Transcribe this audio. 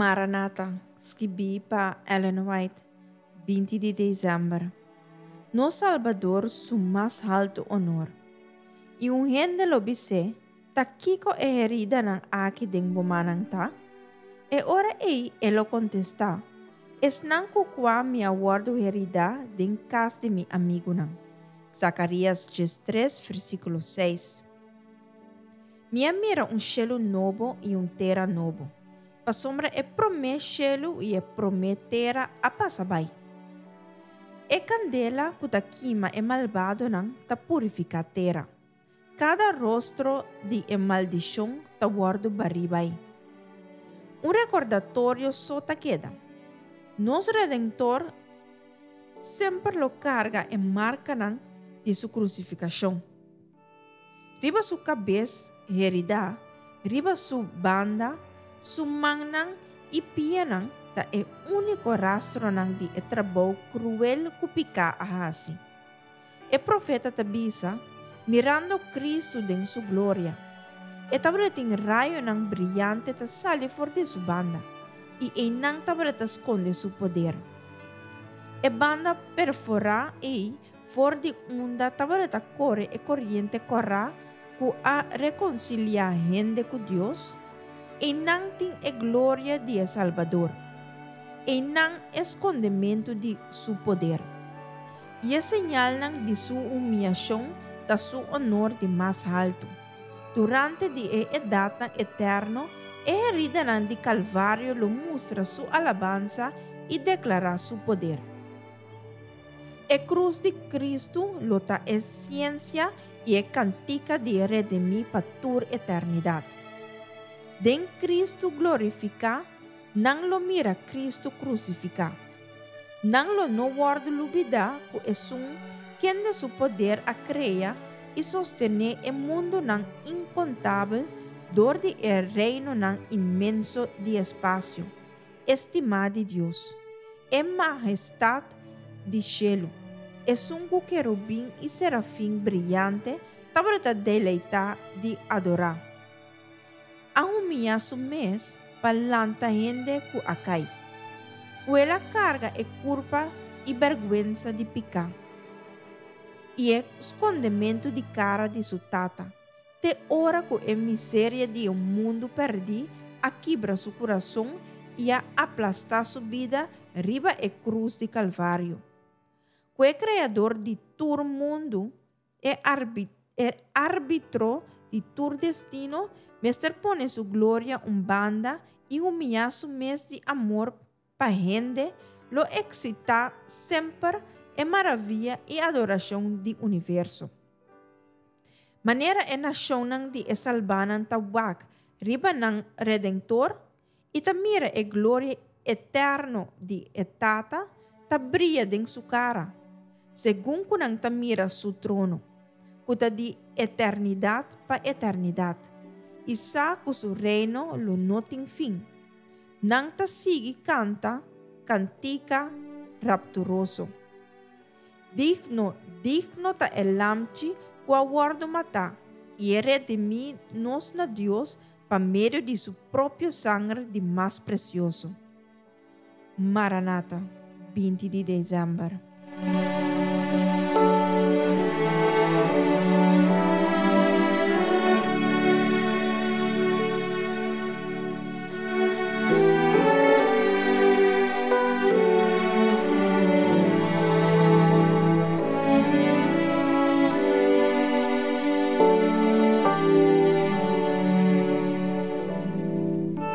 Maranata, skibí pa Ellen White, 20 di desèmber. Nos Salbador su mas haltu honor. I un hende lo bis'é, Ta kiko e heridanan aki den bo mannan ta? E ora ei e lo kontestá, Esnan ku kua mi a wòrdu heridá den kas di mi amigunan. Zakarías 13, versíkulo 6. Mi a mira un shelu nobo i un tera nobo, pasobra e promé shelu i e promé tera a pasa bai. E kandela ku ta kima e malbadonan ta purifiká tera. Kada rostro di e maldishon ta wòrdu barí bai. Un rekordatorio so ta keda. Nos Redentor semper lo karga e markanan di su krusifikashon. Riba su kabes heridá, riba su banda, su mannan i pianan ta e úniko rastronan di e trabou kruel ku piká a hasi. E profeta ta bisa, mirando Kristu den su gloria. E tabatin rayonan briante ta sali for di su banda, i einan tabata skonde su poder. E banda perforá ei for di unda tabata kore e koriente kòrá ku a rekonsiliá hende ku Dios, einan tin e gloria di e Salbador, einan e skondementu di su poder. I e señalnan di su humiashon ta su onor di mas haltu. Durante di e edatnan eterno, e heridanan di Kalvario lo mustra su alabansa i deklará su poder. E krus di Kristu lo ta e siensia i e kantika di e redimí pa tur eternidat. Den Kristu glorifiká, nan lo mira Kristu krusifiká. Nan lo no wòrdu lubidá ku esun kende su poder a krea i sostené e mundunan inkontabel dor di e reinonan inmenso di espasio. Estimá di Dios, e Mahestat di shelu, esun ku kerubin i serafin briyante tabata deleitá di adorá, a humiyá su mes pa lanta hende ku a kai. Ku el a karga e kurpa i bèrgwensa di piká i e skondementu di kara di su Tata. Te ora ku e miseria di e mundu pèrdí a kibra su kurason i a aplastá su bida riba e krus di Kalvario. Ku e Kreador di tur mundu, e e Arbitro di tur destino, mester pone su gloria un banda i humiyá su mes di amor Pa hende lo eksitá semper e maravia i adorashon di universo. Manera e nashonnan di e salbánan ta wak riba nan Redentor i ta mira e gloria eterno di e Tata ta bria den su kara, segun ku nan ta mira su trono, ku ta di eternidat pa eternidat, i sa ku su reino lo no tin fin. Nan ta sigui kanta kantika rapturoso. Digno, digno ta e Lamchi ku a wòrdu matá i e redimí nos na Dios pa medio di su propio sanger di mas presioso. Maranata, 20 di desèmber.